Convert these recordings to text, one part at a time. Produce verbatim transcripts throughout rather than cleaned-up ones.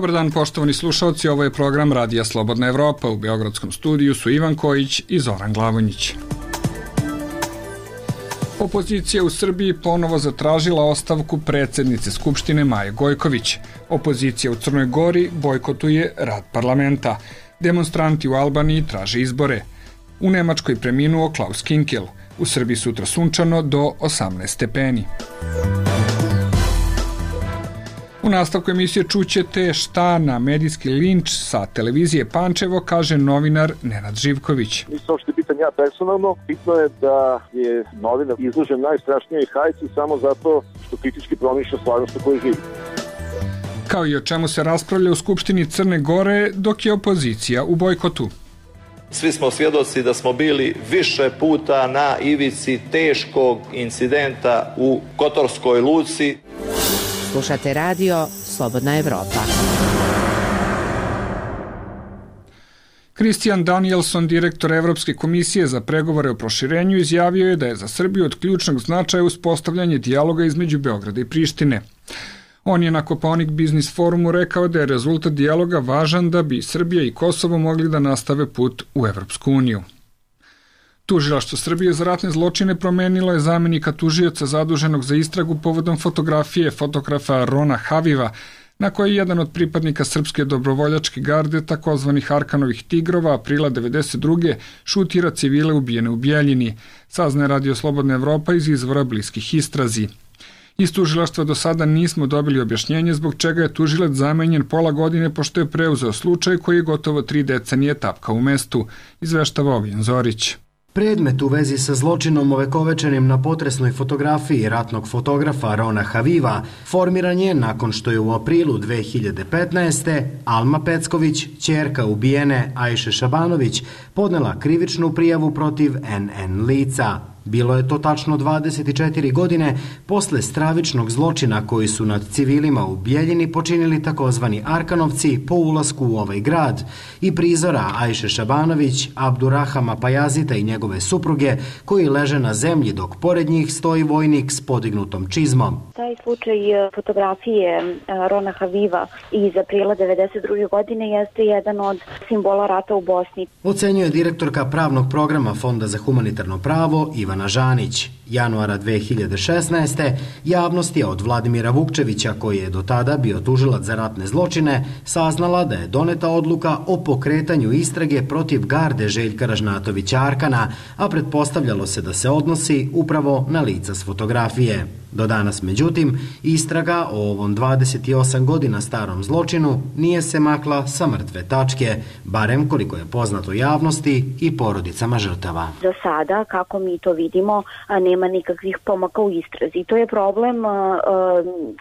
Dobar dan, poštovani slušalci, ovo je program Radija Slobodna Evropa. U Beogradskom studiju su Ivan Kojić i Zoran Glavonjić. Opozicija u Srbiji ponovo zatražila ostavku predsednice Skupštine Maje Gojković. Opozicija u Crnoj Gori bojkotuje rad parlamenta. Demonstranti u Albaniji traže izbore. U Nemačkoj preminuo Klaus Kinkel. U Srbiji sutra sunčano do osamnaest stepeni. U nastavku emisije čućete šta na medijski linč sa televizije Pančevo kaže novinar Nenad Živković. Nisam uopšte pitan ja personalno, bitno je da je novinar izložen najstrašnijoj hajci samo zato što kritički promišlja stvarnost u kojoj živi. Kao i o čemu se raspravlja u Skupštini Crne Gore dok je opozicija u bojkotu. Svi smo svjedoci da smo bili više puta na ivici teškog incidenta u Kotorskoj luci. Slušate radio Slobodna Evropa. Christian Danielson, direktor Evropske komisije za pregovore o proširenju, izjavio je da je za Srbiju od ključnog značaja uspostavljanje dijaloga između Beograda i Prištine. On je na Kopaonik Biznis forumu rekao da je rezultat dijaloga važan da bi Srbija i Kosovo mogli da nastave put u Evropsku uniju. Tužilaštvo Srbije za ratne zločine promenilo je zamenika tužioca zaduženog za istragu povodom fotografije fotografa Rona Haviva, na kojoj je jedan od pripadnika Srpske dobrovoljačke garde, takozvanih Arkanovih tigrova, aprila devedeset druge šutira civile ubijene u Bjeljini, saznaje Radio Slobodna Evropa iz izvora bliskih istrazi. Iz tužilaštva do sada nismo dobili objašnjenje zbog čega je tužilac zamenjen pola godine pošto je preuzeo slučaj koji je gotovo tri decenije tapkao u mestu, izveštava Ognjen Zorić. Predmet u vezi sa zločinom ovekovečenim na potresnoj fotografiji ratnog fotografa Rona Haviva formiran je nakon što je u aprilu dve hiljade petnaeste. Alma Pecković, ćerka ubijene Ajše Šabanović, podnela krivičnu prijavu protiv en en lica. Bilo je to tačno dvadeset četiri godine posle stravičnog zločina koji su nad civilima u Bjeljini počinili takozvani Arkanovci po ulasku u ovaj grad i prizora Ajše Šabanović, Abdurahama Pajazita i njegove supruge koji leže na zemlji dok pored njih stoji vojnik s podignutom čizmom. Taj slučaj fotografije Rona Haviva iz aprila devedeset druge godine jeste jedan od simbola rata u Bosni. Ocenjuje direktorka pravnog programa Fonda za humanitarno pravo Ivana Žanić. Januara dve hiljade šesnaeste. javnost je od Vladimira Vukčevića, koji je do tada bio tužilac za ratne zločine, saznala da je doneta odluka o pokretanju istrage protiv garde Željka Ražnatovića Arkana, a pretpostavljalo se da se odnosi upravo na lica s fotografije. Do danas, međutim, istraga o ovom dvadeset osam godina starom zločinu nije se makla sa mrtve tačke, barem koliko je poznato javnosti i porodicama žrtava. Za sada, kako mi to vidimo, nema nikakvih pomaka u istrazi. To je problem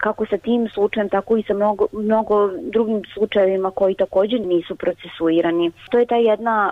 kako sa tim slučajem, tako i sa mnogo, mnogo drugim slučajevima koji također nisu procesuirani. To je ta jedna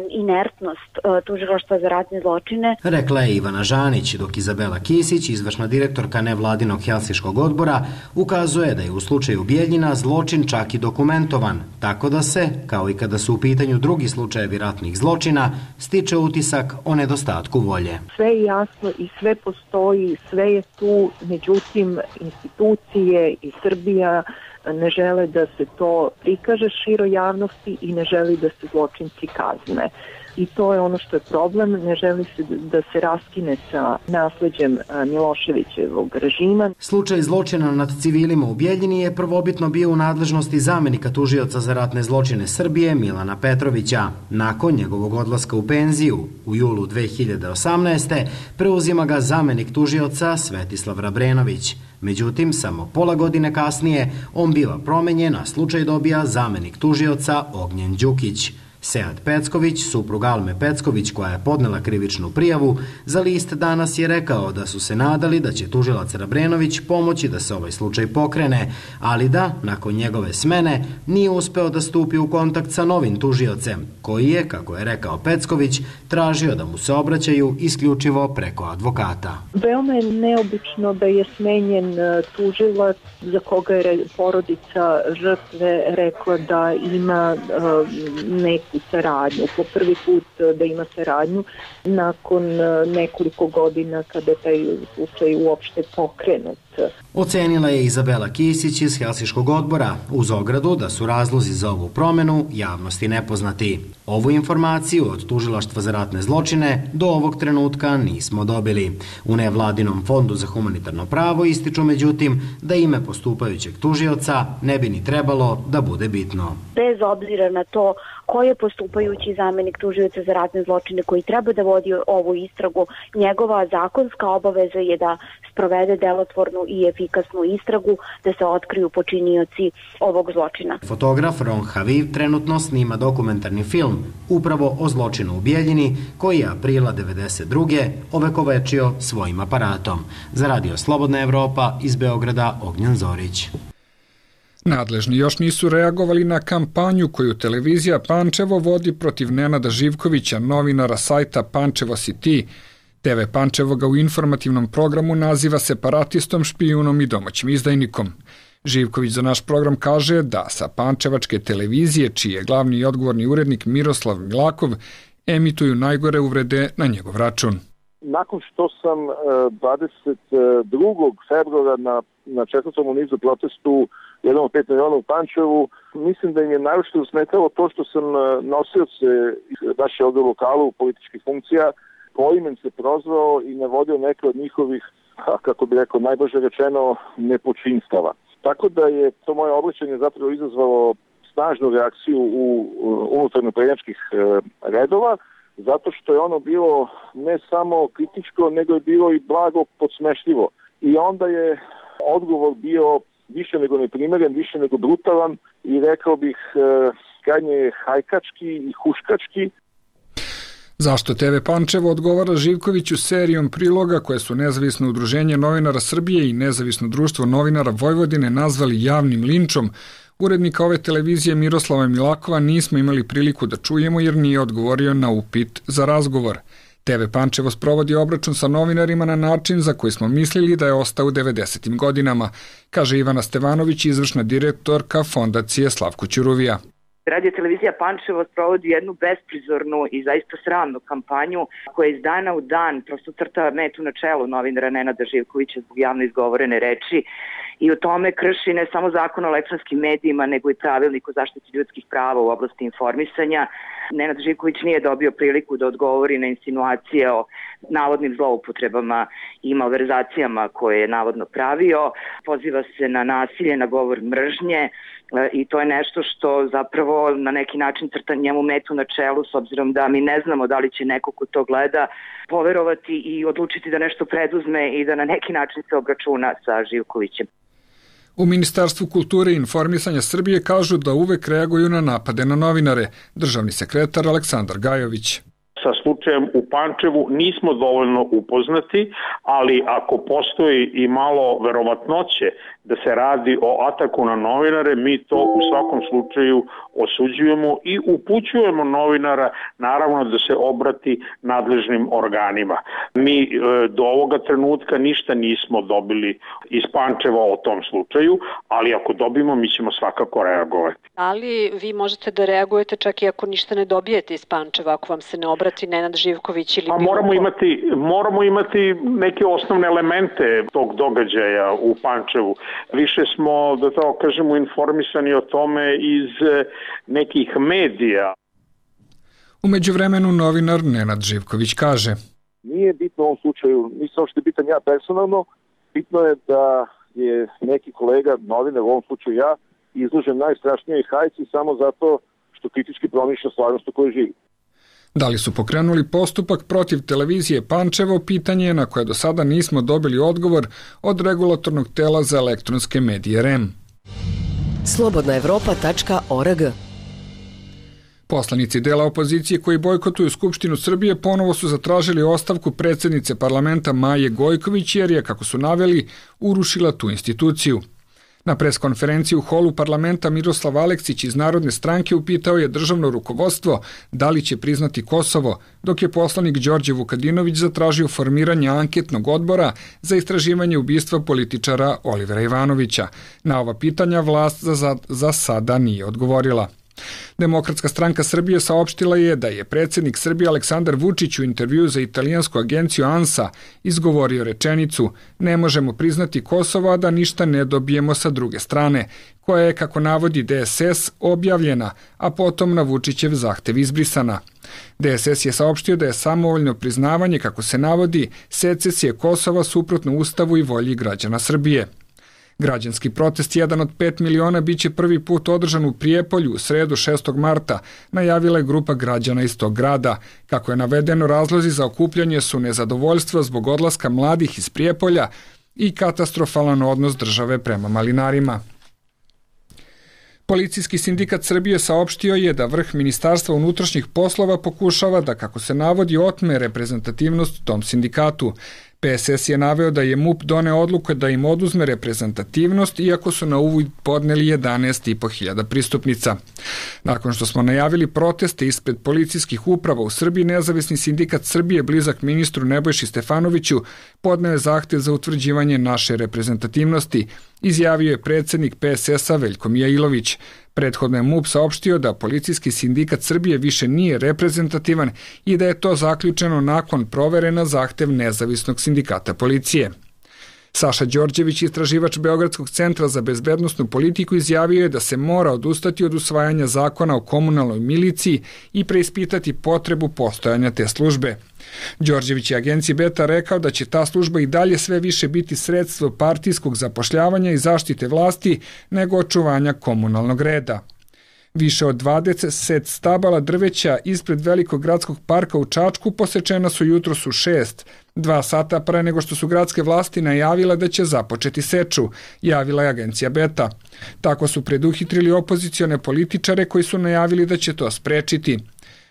inertnost tužilaštva za ratne zločine. Rekla je Ivana Žanić, dok Izabela Kisić, izvršna direktorka nevladinog Helsinškog odbora, ukazuje da je u slučaju Bjeljina zločin čak i dokumentovan, tako da se, kao i kada su u pitanju drugi slučajevi ratnih zločina, stiče utisak o nedostatku volje. Sve je jasno i sve postoji, sve je tu, međutim institucije i Srbija ne žele da se to prikaže široj javnosti i ne želi da se zločinci kazne. I to je ono što je problem, ne želi se da se raskine sa nasleđem Miloševićevog režima. Slučaj zločina nad civilima u Bjeljini je prvobitno bio u nadležnosti zamenika tužioca za ratne zločine Srbije Milana Petrovića. Nakon njegovog odlaska u penziju u julu dve hiljade osamnaeste. preuzima ga zamenik tužioca Svetislav Rabrenović. Međutim, samo pola godine kasnije on biva promenjen, a slučaj dobija zamenik tužioca Ognjen Đukić. Sead Pecković, suprug Alme Pecković, koja je podnela krivičnu prijavu, za list Danas je rekao da su se nadali da će tužilac Rabrenović pomoći da se ovaj slučaj pokrene, ali da, nakon njegove smene, nije uspeo da stupi u kontakt sa novim tužiocem, koji je, kako je rekao Pecković, tražio da mu se obraćaju isključivo preko advokata. Veoma je neobično da je smenjen tužilac za koga je porodica žrtve rekla da ima uh, neke neku saradnju, po prvi put da ima saradnju nakon nekoliko godina kada je taj slučaj uopšte pokrenut. Ocenila je Izabela Kisić iz Helsinškog odbora, uz ogradu da su razlozi za ovu promenu javnosti nepoznati. Ovu informaciju od Tužilaštva za ratne zločine do ovog trenutka nismo dobili. U nevladinom fondu za humanitarno pravo ističu međutim da ime postupajućeg tužioca ne bi ni trebalo da bude bitno. Bez obzira na to ko je postupajući zamenik tužioca za ratne zločine koji treba da vodi ovu istragu, njegova zakonska obaveza je da sprovede delotvornu i efikasnu istragu, da se otkriju počinioci ovog zločina. Fotograf Ron Haviv trenutno snima dokumentarni film upravo o zločinu u Bijeljini, koji je aprila devedeset druge ovekovečio svojim aparatom. Za Radio Slobodna Evropa iz Beograda Ognjen Zorić. Nadležni još nisu reagovali na kampanju koju televizija Pančevo vodi protiv Nenada Živkovića, novinara sajta Pančevo si ti. te ve Pančevo ga u informativnom programu naziva separatistom, špijunom i domaćim izdajnikom. Živković za naš program kaže da sa pančevačke televizije, čiji je glavni i odgovorni urednik Miroslav Milakov, emituju najgore uvrede na njegov račun. Nakon što sam dvadeset drugog februara na, na četvrtom u nizu protestu jedan od pet miliona u Pančevu, mislim da im je najviše usmetalo to što sam nosioce naše ovdje lokalu političkih funkcija poimen se prozvao i navodio neke od njihovih, kako bi rekao, najbolje rečeno, nepočinstava. Tako da je to moje obraćanje zapravo izazvalo snažnu reakciju u unutarnjo prednjačkih redova, zato što je ono bilo ne samo kritičko, nego je bilo i blago podsmešljivo. I onda je odgovor bio više nego neprimeren, više nego brutalan i rekao bih krajnje hajkački i huškački. Zašto te ve Pančevo odgovara Živkoviću serijom priloga koje su Nezavisno udruženje novinara Srbije i Nezavisno društvo novinara Vojvodine nazvali javnim linčom, urednika ove televizije Miroslava Milakova nismo imali priliku da čujemo jer nije odgovorio na upit za razgovor. te ve Pančevo sprovodi obračun sa novinarima na način za koji smo mislili da je ostao u devedesetim godinama, kaže Ivana Stevanović, izvršna direktorka Fondacije Slavko Ćuruvija. Radio televizija Pančevo sprovodi jednu besprizornu i zaista sramnu kampanju koja iz dana u dan prosto crta metu na čelu novinara Nenada Živkovića zbog javno izgovorene reči i u tome krši ne samo zakon o elektronskim medijima, nego i pravilnik o zaštiti ljudskih prava u oblasti informisanja. Nenad Živković nije dobio priliku da odgovori na insinuacije o navodnim zloupotrebama i malverzacijama koje je navodno pravio. Poziva se na nasilje, na govor mržnje i to je nešto što zapravo na neki način crta njemu metu na čelu, s obzirom da mi ne znamo da li će neko ko to gleda poverovati i odlučiti da nešto preduzme i da na neki način se obračuna sa Živkovićem. U Ministarstvu kulture i informisanja Srbije kažu da uvek reaguju na napade na novinare. Državni sekretar Aleksandar Gajović. Sa slučajem u Pančevu nismo dovoljno upoznati, ali ako postoji i malo verovatnoće da se radi o ataku na novinare, mi to u svakom slučaju osuđujemo i upućujemo novinara naravno da se obrati nadležnim organima. Mi e, do ovoga trenutka ništa nismo dobili iz Pančeva o tom slučaju, ali ako dobimo mi ćemo svakako reagovati. Ali vi možete da reagujete čak i ako ništa ne dobijete iz Pančeva, ako vam se ne obrati Nenad Živković ili... A moramo imati, moramo imati neke osnovne elemente tog događaja u Pančevu. Više smo, da tako kažemo, informisani o tome iz nekih medija. U međuvremenu novinar Nenad Živković kaže: Nije bitno u ovom slučaju, nisam uopšte bitan ja personalno, bitno je da je neki kolega, novinar, u ovom slučaju ja, izložen najstrašnijoj hajci samo zato što kritički promišlja stvarnost u kojoj živi. Da li su pokrenuli postupak protiv televizije Pančevo, pitanje je na koje do sada nismo dobili odgovor od regulatornog tela za elektronske medije R E M. slobodna evropa tačka org. Poslanici dela opozicije koji bojkotuju Skupštinu Srbije ponovo su zatražili ostavku predsjednice parlamenta Maje Gojković jer je, kako su naveli, urušila tu instituciju. Na preskonferenciji u holu parlamenta Miroslav Aleksić iz Narodne stranke upitao je državno rukovodstvo da li će priznati Kosovo, dok je poslanik Đorđe Vukadinović zatražio formiranje anketnog odbora za istraživanje ubistva političara Olivera Ivanovića. Na ova pitanja vlast za, za sada nije odgovorila. Demokratska stranka Srbije saopštila je da je predsjednik Srbije Aleksandar Vučić u intervju za italijansku agenciju ANSA izgovorio rečenicu "Ne možemo priznati Kosovo, a da ništa ne dobijemo sa druge strane", koja je, kako navodi D S S, objavljena, a potom na Vučićev zahtev izbrisana. D S S je saopštio da je samovoljno priznavanje, kako se navodi, secesije Kosova suprotno Ustavu i volji građana Srbije. Građanski protest jedan od pet miliona biće prvi put održan u Prijepolju u sredu šestog marta, najavila je grupa građana iz tog grada. Kako je navedeno, razlozi za okupljanje su nezadovoljstva zbog odlaska mladih iz Prijepolja i katastrofalan odnos države prema malinarima. Policijski sindikat Srbije saopštio je da vrh Ministarstva unutrašnjih poslova pokušava da, kako se navodi, otme reprezentativnost tom sindikatu. P S S je naveo da je M U P doneo odluku da im oduzme reprezentativnost, iako su na uvid podneli jedanaest i po hiljada pristupnica. Nakon što smo najavili proteste ispred policijskih uprava u Srbiji, Nezavisni sindikat Srbije, blizak ministru Nebojši Stefanoviću, podneo je zahtev za utvrđivanje naše reprezentativnosti, izjavio je predsjednik P S S-a Veljko Mijailović. Prethodno je M U P saopštio da Policijski sindikat Srbije više nije reprezentativan i da je to zaključeno nakon provere na zahtev Nezavisnog sindikata policije. Saša Đorđević, istraživač Beogradskog centra za bezbednosnu politiku, izjavio je da se mora odustati od usvajanja zakona o komunalnoj miliciji i preispitati potrebu postojanja te službe. Đorđević je agenciji Beta rekao da će ta služba i dalje sve više biti sredstvo partijskog zapošljavanja i zaštite vlasti nego očuvanja komunalnog reda. Više od dvadeset stabala drveća ispred Velikog gradskog parka u Čačku posečena su jutros u šest, dva sata pre nego što su gradske vlasti najavile da će započeti seču, javila je agencija Beta. Tako su preduhitrili opozicione političare koji su najavili da će to sprečiti.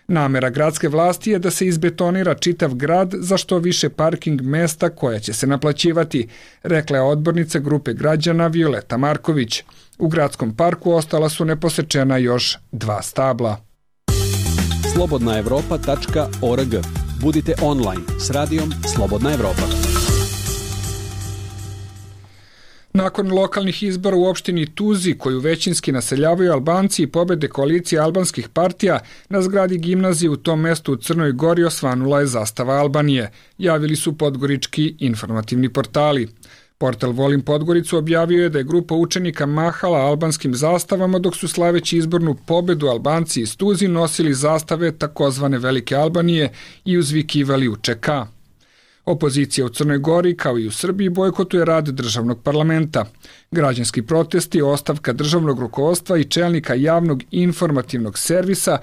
Namera gradske vlasti je da se izbetonira čitav grad za što više parking mesta koja će se naplaćivati, rekla je odbornica grupe građana Violeta Marković. U gradskom parku ostala su neposečena još dva stabla. slobodna evropa tačka org. Budite online s radijom Slobodna Evropa. Nakon lokalnih izbora u opštini Tuzi, koju većinski naseljavaju Albanci i pobede koalicije albanskih partija, na zgradi gimnazije u tom mestu u Crnoj Gori osvanula je zastava Albanije, javili su podgorički informativni portali. Portal Volim Podgoricu objavio je da je grupa učenika mahala albanskim zastavama dok su slaveći izbornu pobedu Albanci iz Tuzi nosili zastave takozvane Velike Albanije i uzvikivali U Č K. Opozicija u Crnoj Gori, kao i u Srbiji, bojkotuje rad državnog parlamenta. Građanski protesti, ostavka državnog rukovodstva i čelnika javnog informativnog servisa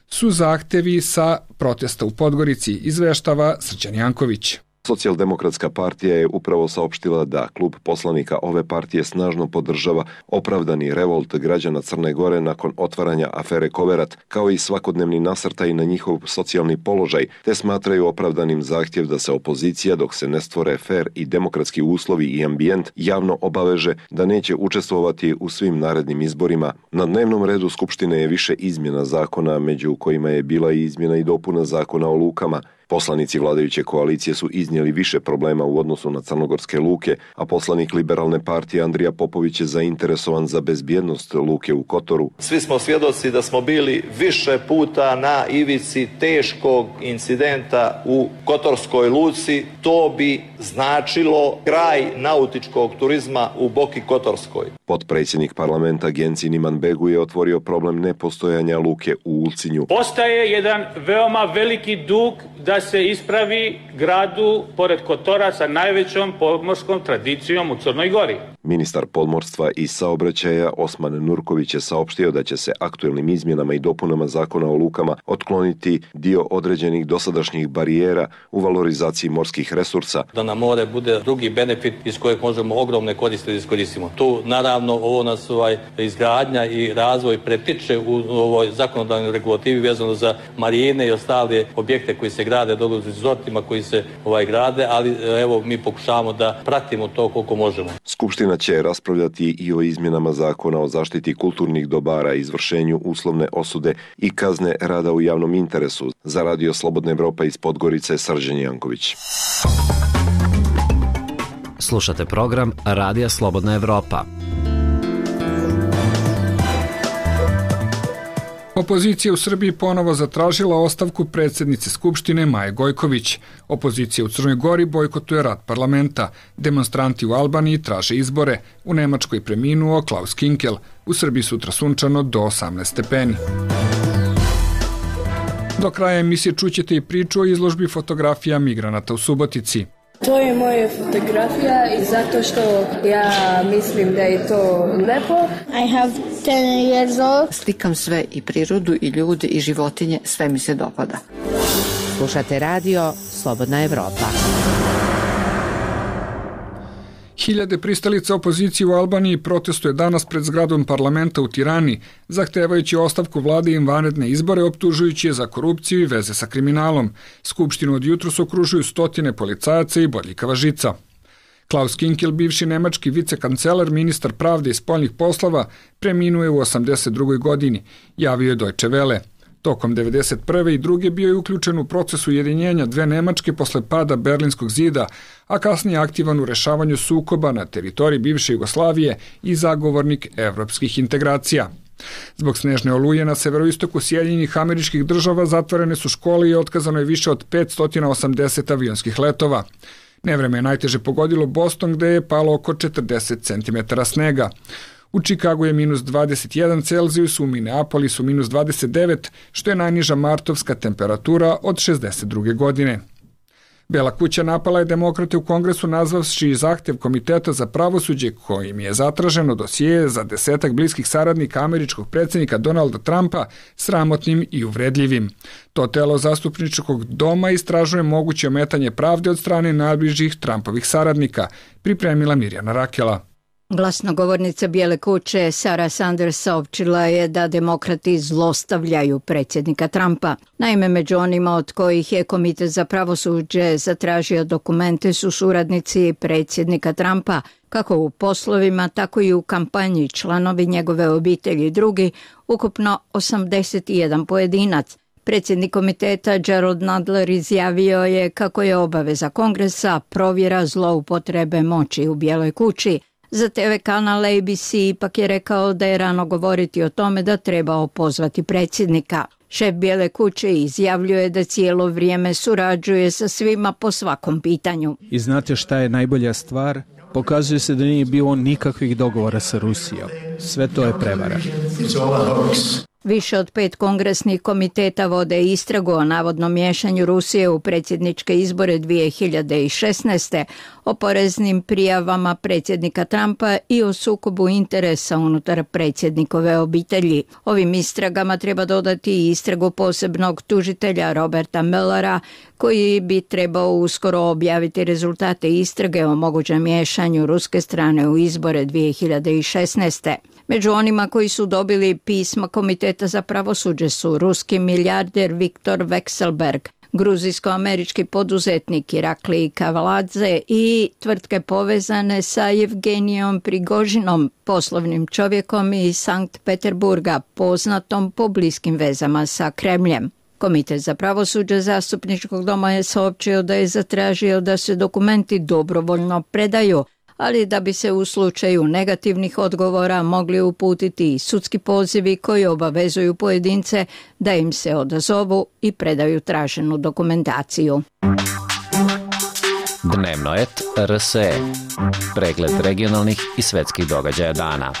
su zahtevi sa protesta u Podgorici, izveštava Srđan Janković. Socijaldemokratska partija je upravo saopštila da klub poslanika ove partije snažno podržava opravdani revolt građana Crne Gore nakon otvaranja afere Koverat, kao i svakodnevni nasrtaj na njihov socijalni položaj, te smatraju opravdanim zahtjev da se opozicija, dok se ne stvore fer i demokratski uslovi i ambijent, javno obaveže da neće učestvovati u svim narednim izborima. Na dnevnom redu Skupštine je više izmjena zakona, među kojima je bila i izmjena i dopuna zakona o lukama. Poslanici vladajuće koalicije su iznijeli više problema u odnosu na crnogorske luke, a poslanik Liberalne partije Andrija Popović je zainteresovan za bezbjednost luke u Kotoru. Svi smo svjedoci da smo bili više puta na ivici teškog incidenta u Kotorskoj luci. To bi značilo kraj nautičkog turizma u Boki Kotorskoj. Potpredsjednik parlamenta Genci Niman Begu je otvorio problem nepostojanja luke u Ulcinju. Postaje jedan veoma veliki dug da se ispravi gradu pored Kotora sa najvećom podmorskom tradicijom u Crnoj Gori. Ministar podmorstva i saobraćaja Osman Nurković je saopštio da će se aktuelnim izmjenama i dopunama zakona o lukama otkloniti dio određenih dosadašnjih barijera u valorizaciji morskih resursa. Da nam more bude drugi benefit iz kojeg možemo ogromne koriste da iskoristimo. Tu naravno ovo nas ovaj, izgradnja i razvoj pretiče u ovoj zakonodavnoj regulativi vezano za marine i ostale objekte koji se grade dole u resortima koji se ovaj grade, ali evo mi pokušavamo da pratimo to koliko možemo. Skupština će raspravljati i o izmjenama zakona o zaštiti kulturnih dobara, izvršenju uslovne osude i kazne rada u javnom interesu. Za Radio Slobodna Evropa iz Podgorice, Srđan Janković. Slušate program Radija Slobodna Evropa. Opozicija u Srbiji ponovo zatražila ostavku predsjednice Skupštine Maje Gojković. Opozicija u Crnoj Gori bojkotuje rad parlamenta. Demonstranti u Albaniji traže izbore. U Nemačkoj preminuo Klaus Kinkel. U Srbiji sutra sunčano do osamnaest stepeni. Do kraja emisije čućete i priču o izložbi fotografija migranata u Subotici. To je moja fotografija i zato što ja mislim da je to lepo. I have ten years old. Slikam sve i prirodu i ljude i životinje, sve mi se dopada. Slušate radio Slobodna Evropa. Hiljade pristalica opozicije u Albaniji protestuje danas pred zgradom parlamenta u Tirani, zahtevajući ostavku vlade i vanredne izbore, optužujući je za korupciju i veze sa kriminalom. Skupštinu od jutros okružuju stotine policajaca i bodljikava žica. Klaus Kinkel, bivši nemački vicekancelar, ministar pravde i spoljnih poslova, preminuje u osamdeset drugoj godini, javio je Deutsche Welle. Tokom devedeset prve i druge bio je uključen u proces ujedinjenja dve Nemačke posle pada Berlinskog zida, a kasnije aktivan u rešavanju sukoba na teritoriji bivše Jugoslavije i zagovornik evropskih integracija. Zbog snežne oluje na severoistoku Sjedinjenih Američkih Država zatvorene su škole i otkazano je više od petsto osamdeset avionskih letova. Nevreme je najteže pogodilo Boston, gde je palo oko četrdeset centimetara snega. U Čikagu je minus dvadeset jedan Celzijus, u Minneapolisu minus dvadeset devet, što je najniža martovska temperatura od šezdeset druge godine. Bela kuća napala je demokrate u Kongresu nazvavši zahtev Komiteta za pravosuđe kojim je zatraženo dosije za desetak bliskih saradnika američkog predsjednika Donalda Trumpa sramotnim i uvredljivim. To telo zastupničkog doma istražuje moguće ometanje pravde od strane najbližih Trumpovih saradnika, pripremila Mirjana Rakela. Glasnogovornica Bijele kuće Sarah Sanders saopćila je da demokrati zlostavljaju predsjednika Trumpa. Naime, među onima od kojih je Komitet za pravosuđe zatražio dokumente su suradnici predsjednika Trumpa, kako u poslovima, tako i u kampanji, članovi njegove obitelji i drugi, ukupno osamdeset jedan pojedinac. Predsjednik komiteta Gerald Nadler izjavio je kako je obaveza Kongresa provjera zloupotrebe moći u Bijeloj kući. Za te ve kanal A B C ipak je rekao da je rano govoriti o tome da treba opozvati predsjednika. Šef Bijele kuće izjavljuje da cijelo vrijeme surađuje sa svima po svakom pitanju. I znate šta je najbolja stvar? Pokazuje se da nije bilo nikakvih dogovora sa Rusijom. Sve to je prevara. Više od pet kongresnih komiteta vode istragu o navodnom miješanju Rusije u predsjedničke izbore dvije hiljade šesnaeste, o poreznim prijavama predsjednika Trumpa i o sukobu interesa unutar predsjednikove obitelji. Ovim istragama treba dodati i istragu posebnog tužitelja Roberta Muellera, koji bi trebao uskoro objaviti rezultate istrage o mogućem miješanju ruske strane u izbore dvije hiljade šesnaeste. Među onima koji su dobili pisma Komiteta za pravosuđe su ruski milijarder Viktor Vekselberg, gruzijsko-američki poduzetnik Irakli Kavaladze i tvrtke povezane sa Jevgenijom Prigožinom, poslovnim čovjekom iz Sankt Peterburga, poznatom po bliskim vezama sa Kremljem. Komitet za pravosuđe zastupničkog doma je saopćio da je zatražio da se dokumenti dobrovoljno predaju, ali da bi se u slučaju negativnih odgovora mogli uputiti i sudski pozivi koji obavezuju pojedince da im se odazovu i predaju traženu dokumentaciju. Dnevno et R S E. Pregled regionalnih i svetskih događaja dana.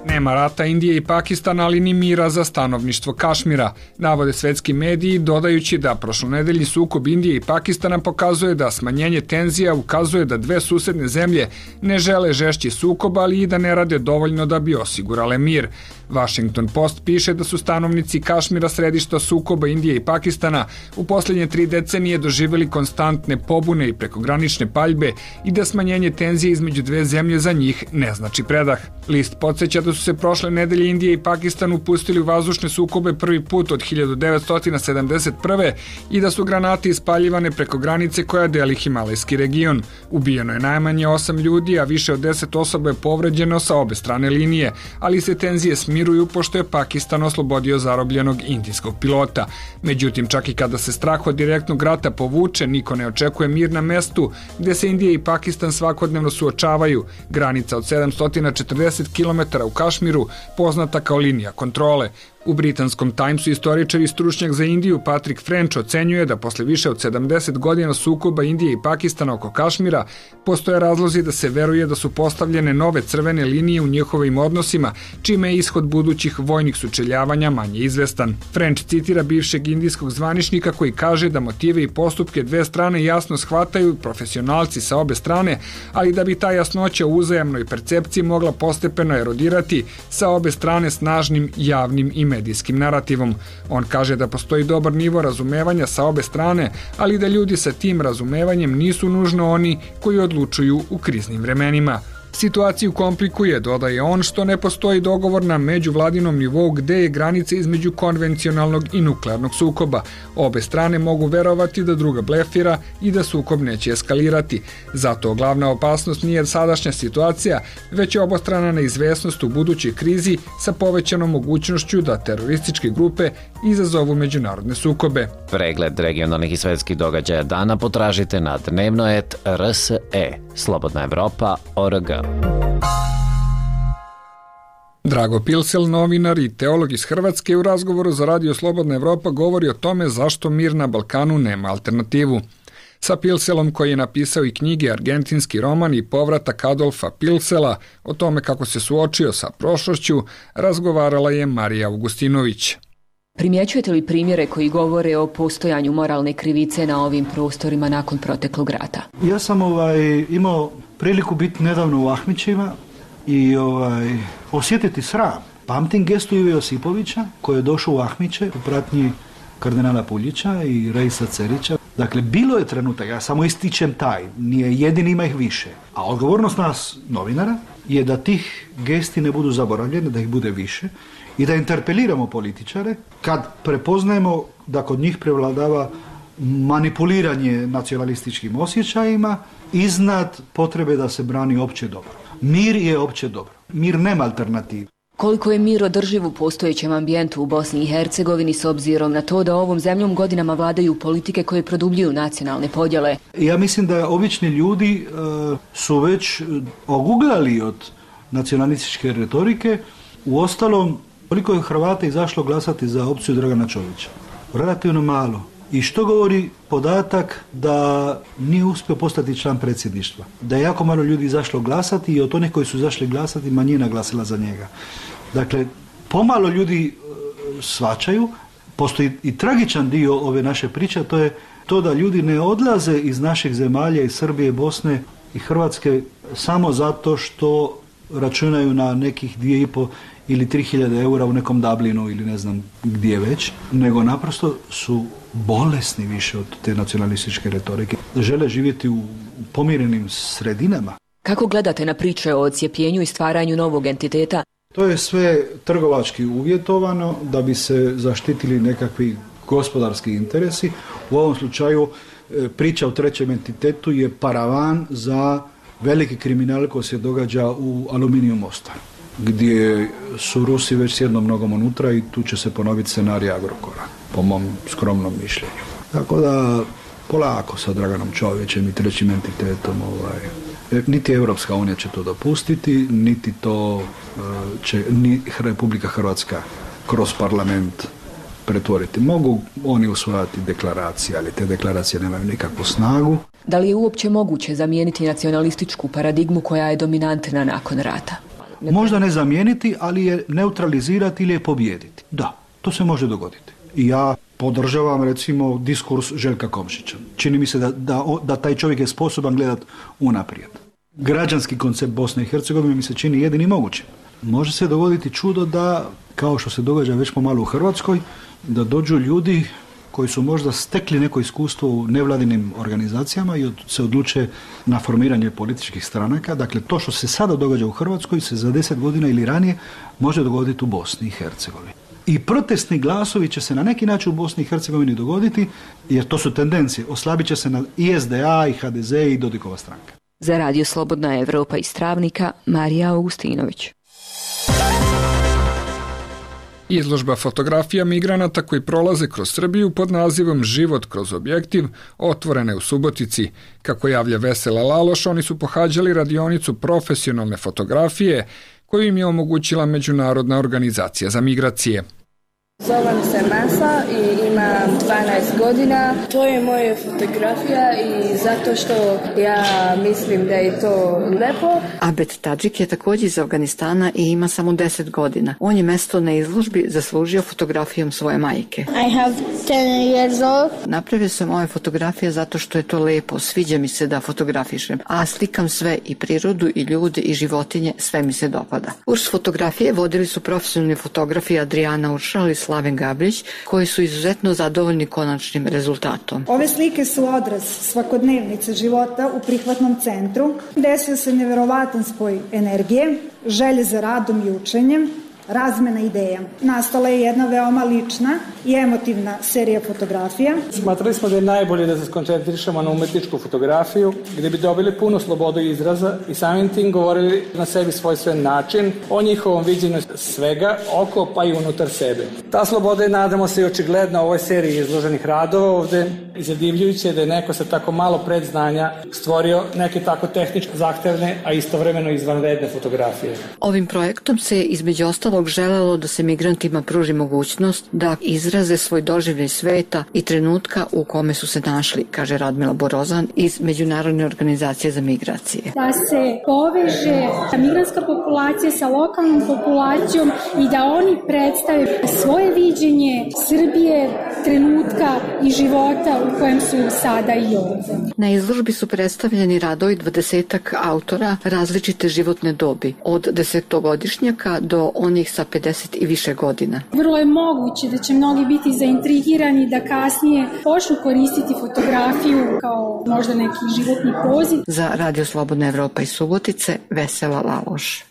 Nema rata Indije i Pakistana, ali ni mira za stanovništvo Kašmira, navode svetski mediji, dodajući da prošlonedeljni sukob Indije i Pakistana pokazuje da smanjenje tenzija ukazuje da dve susedne zemlje ne žele žešći sukob, ali i da ne rade dovoljno da bi osigurale mir. Washington Post piše da su stanovnici Kašmira središta sukoba Indije i Pakistana u posljednje tri decenije doživjeli konstantne pobune i prekogranične paljbe i da smanjenje tenzije između dve zemlje za njih ne znači predah. List podsjeća da su se prošle nedelje Indija i Pakistan upustili u vazdušne sukobe prvi put od hiljadu devetsto sedamdeset prve i da su granate ispaljivane preko granice koja deli Himalajski region. Ubijeno je najmanje osam ljudi, a više od deset osoba je povređeno sa obe strane linije, ali se tenzije smiruju pošto je Pakistan oslobodio zarobljenog indijskog pilota. Međutim, čak i kada se strah od direktnog rata povuče, niko ne očekuje mir na mestu gde se Indija i Pakistan svakodnevno suočavaju. Granica od sedamsto četrdeset kilometara u Kašmiru Kašmiru, poznata kao linija kontrole. U britanskom Timesu istoričar i stručnjak za Indiju Patrick French ocenjuje da posle više od sedamdeset godina sukoba Indije i Pakistana oko Kašmira postoje razlozi da se veruje da su postavljene nove crvene linije u njihovim odnosima, čime je ishod budućih vojnih sučeljavanja manje izvestan. French citira bivšeg indijskog zvaničnika koji kaže da motive i postupke dve strane jasno shvataju profesionalci sa obe strane, ali da bi ta jasnoća u uzajamnoj percepciji mogla postepeno erodirati sa obe strane snažnim javnim i medijskim narativom. On kaže da postoji dobar nivo razumevanja sa obe strane, ali da ljudi sa tim razumevanjem nisu nužno oni koji odlučuju u kriznim vremenima. Situaciju komplikuje, dodaje on, što ne postoji dogovor na međuvladinom nivou gde je granica između konvencionalnog i nuklearnog sukoba. Obe strane mogu verovati da druga blefira i da sukob neće eskalirati. Zato glavna opasnost nije sadašnja situacija, već je obostrana neizvesnost u budućoj krizi sa povećanom mogućnošću da terorističke grupe izazovu međunarodne sukobe. Pregled regionalnih i svetskih događaja dana potražite na dnevno et er es e, Slobodna Evropa, org. Drago Pilsel, novinar i teolog iz Hrvatske, u razgovoru za Radio Slobodna Evropa govori o tome zašto mir na Balkanu nema alternativu. Sa Pilselom, koji je napisao i knjige Argentinski roman i povratak Adolfa Pilsela, o tome kako se suočio sa prošlošću, razgovarala je Marija Augustinović. Primjećujete li primjere koji govore o postojanju moralne krivice na ovim prostorima nakon proteklog rata? Ja sam ovaj, imao priliku biti nedavno u Ahmićima i ovaj, osjetiti sram. Pamtim gestu Ive Josipovića koji je došao u Ahmiće u pratnji kardinala Puljića i Reisa Cerića. Dakle, bilo je trenutak, ja samo ističem taj, nije jedini, ima ih više. A odgovornost nas, novinara, je da tih gesti ne budu zaboravljene, da ih bude više i da interpeliramo političare kad prepoznajemo da kod njih prevladava manipuliranje nacionalističkim osjećajima iznad potrebe da se brani opće dobro. Mir je opće dobro. Mir nema alternativu. Koliko je mir održiv u postojećem ambijentu u Bosni i Hercegovini s obzirom na to da ovom zemljom godinama vladaju politike koje produbljuju nacionalne podjele? Ja mislim da obični ljudi uh, su već oguglali od nacionalističke retorike. Uostalom, koliko je Hrvata izašlo glasati za opciju Dragana Čovića? Relativno malo. I što govori podatak da nije uspio postati član predsjedništva? Da je jako malo ljudi izašlo glasati i od onih koji su izašli glasati manjina glasila za njega. Dakle, pomalo ljudi shvaćaju, postoji i tragičan dio ove naše priče, a to je to da ljudi ne odlaze iz naših zemalja, iz Srbije, Bosne i Hrvatske samo zato što računaju na nekih dvije i po ili tri hiljade eura u nekom Dublinu ili ne znam gdje već, nego naprosto su bolesni više od te nacionalističke retorike. Žele živjeti u pomirenim sredinama. Kako gledate na priče o odcijepljenju i stvaranju novog entiteta? To je sve trgovački uvjetovano da bi se zaštitili nekakvi gospodarski interesi. U ovom slučaju priča o trećem entitetu je paravan za veliki kriminal koji se događa u Aluminiju Mostaru, gdje su Rusi već s jednom nogom unutra i tu će se ponoviti scenarij Agrokora, po mom skromnom mišljenju. Tako da polako sa Draganom Čovićem i trećim entitetom, ovaj, niti Europska unija će to dopustiti, niti to će ni Republika Hrvatska kroz parlament pretvoriti. Mogu oni usvajati deklaracije, ali te deklaracije nemaju nikakvu snagu. Da li je uopće moguće zamijeniti nacionalističku paradigmu koja je dominantna nakon rata? Možda ne zamijeniti, ali je neutralizirati ili je pobijediti. Da, to se može dogoditi. I ja podržavam recimo diskurs Željka Komšića. Čini mi se da, da, da taj čovjek je sposoban gledat unaprijed. Građanski koncept Bosne i Hercegovine mi se čini jedini moguće. Može se dogoditi čudo da, kao što se događa već pomalo u Hrvatskoj, da dođu ljudi koji su možda stekli neko iskustvo u nevladinim organizacijama i od, se odluče na formiranje političkih stranaka. Dakle, to što se sada događa u Hrvatskoj se za deset godina ili ranije može dogoditi u Bosni i Hercegovini. I protestni glasovi će se na neki način u Bosni i Hercegovini dogoditi, jer to su tendencije. Oslabit će se na i es de a, i ha de ze i Dodikova stranka. Za Radio Slobodna Evropa iz Travnika, Marija Augustinović. Izložba fotografija migranata koji prolaze kroz Srbiju pod nazivom Život kroz objektiv otvorena je u Subotici. Kako javlja Vesela Laloš, oni su pohađali radionicu profesionalne fotografije koju im je omogućila Međunarodna organizacija za migracije. Zovem se Masa i imam dvanaest godina. To je moja fotografija i zato što ja mislim da je to lepo. Abed Tadžik je također iz Afganistana i ima samo deset godina. On je mesto na izložbi zaslužio fotografijom svoje majke. I have ten years old. Napravio sam ove fotografije zato što je to lepo, sviđa mi se da fotografišem, a slikam sve, i prirodu i ljude i životinje, sve mi se dopada. Kurs fotografije vodili su profesionalni fotografi Adriana Uršal i Slaven Gabrić, koji su izuzetno zadovoljni konačnim rezultatom. Ove slike su odraz svakodnevnice života u prihvatnom centru. Desio se neverovatan spoj energije, želje za radom i učenjem, razmena ideja. Nastala je jedna veoma lična i emotivna serija fotografija. Smatrali smo da je najbolje da se skoncentrišemo na umetničku fotografiju, gde bi dobili puno slobodu izraza i samim tim govorili na sebi svojstven način o njihovom viđenju svega oko pa i unutar sebe. Ta sloboda je, nadamo se, i očigledna u ovoj seriji izloženih radova ovde, i zadivljujuće je da je neko sa tako malo predznanja stvorio neke tako tehnički zahtevne, a istovremeno izvanredne fotografije. Ovim projektom se između ostalog želelo da se migrantima pruži mogućnost da izraze svoj doživljaj sveta i trenutka u kome su se našli, kaže Radmila Borozan iz Međunarodne organizacije za migracije. Da se poveže migrantska populacija sa lokalnom populacijom i da oni predstave svoje viđenje Srbije, trenutka i života u kojem su sada i ovdje. Na izložbi su predstavljeni radovi dvadesetak autora različite životne dobi, od desetogodišnjaka do onih sa pedeset i više godina. Vrlo je moguće da će mnogi biti zaintrigirani da kasnije počnu koristiti fotografiju kao možda neki životni poziv. Za Radio Slobodna Evropa iz Subotice, Vesela Laloš.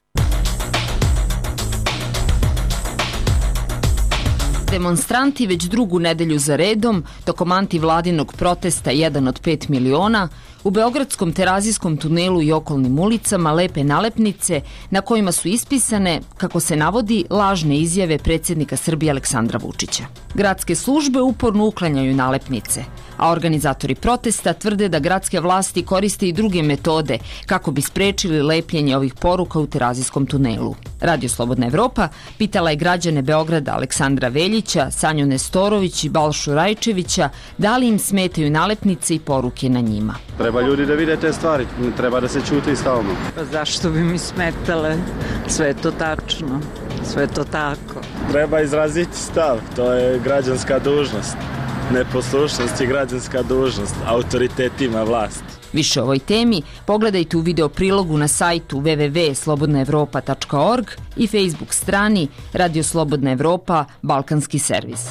Demonstranti već drugu nedelju za redom, tokom antivladinog protesta jedan od pet miliona, u Beogradskom Terazijskom tunelu i okolnim ulicama lepe nalepnice na kojima su ispisane, kako se navodi, lažne izjave predsjednika Srbije Aleksandra Vučića. Gradske službe uporno uklanjaju nalepnice, a organizatori protesta tvrde da gradske vlasti koriste i druge metode kako bi sprečili lepljenje ovih poruka u Terazijskom tunelu. Radio Slobodna Evropa pitala je građane Beograda Aleksandra Veljića, Sanju Nestorović i Balšu Rajčevića da li im smetaju nalepnice i poruke na njima. Treba ljudi da vide te stvari, ne treba da se ćuti stalno. Pa zašto bi mi smetale? Sve je to tačno, sve je to tako. Treba izraziti stav, to je građanska dužnost. Neposlušnost je građanska dužnost, autoritet ima vlast. Više o ovoj temi pogledajte u video prilogu na sajtu w w w tačka slobodna evropa tačka org i Facebook strani Radio Slobodna Evropa Balkanski servis.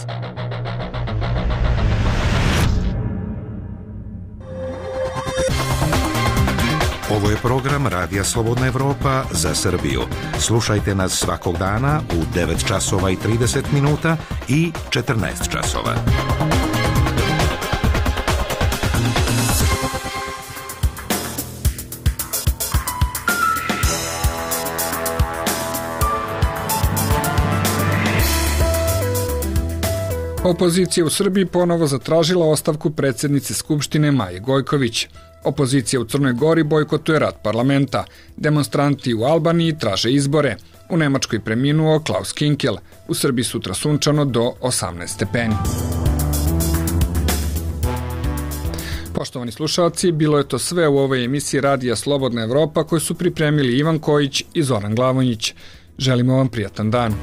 Ovo je program Radija Slobodna Evropa za Srbiju. Slušajte nas svakog dana u devet časova i trideset minuta i četrnaest časova. Opozicija u Srbiji ponovo zatražila ostavku predsjednice Skupštine Maje Gojković. Opozicija u Crnoj Gori bojkotuje rad parlamenta. Demonstranti u Albaniji traže izbore. U Nemačkoj preminuo Klaus Kinkel. U Srbiji sutra sunčano do osamnaest stepeni. Poštovani slušalci, bilo je to sve u ovoj emisiji Radija Slobodna Evropa koju su pripremili Ivan Kojić i Zoran Glavonjić. Želimo vam prijatan dan.